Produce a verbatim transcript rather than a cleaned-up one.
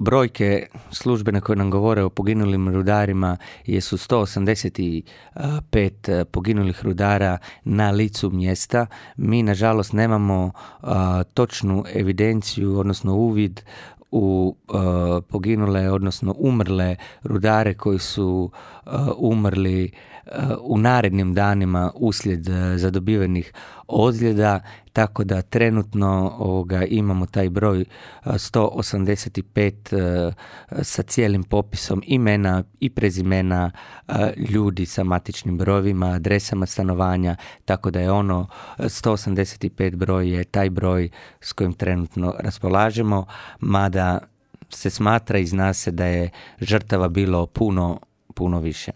brojke službene koje nam govore o poginulim rudarima jesu sto osamdeset pet poginulih rudara na licu mjesta. Mi, nažalost, nemamo uh, točnu evidenciju, odnosno uvid u uh, poginule, odnosno umrle rudare koji su uh, umrli uh, u narednim danima uslijed uh, zadobivenih ozljeda, tako da trenutno ovoga, imamo taj broj uh, sto osamdeset pet uh, sa cijelim popisom imena i prezimena uh, ljudi sa matičnim brojevima, adresama stanovanja, tako da je ono sto osamdeset pet broj je taj broj s kojim trenutno raspolažemo, mada se smatra i zna se da je žrtava bilo puno, puno više.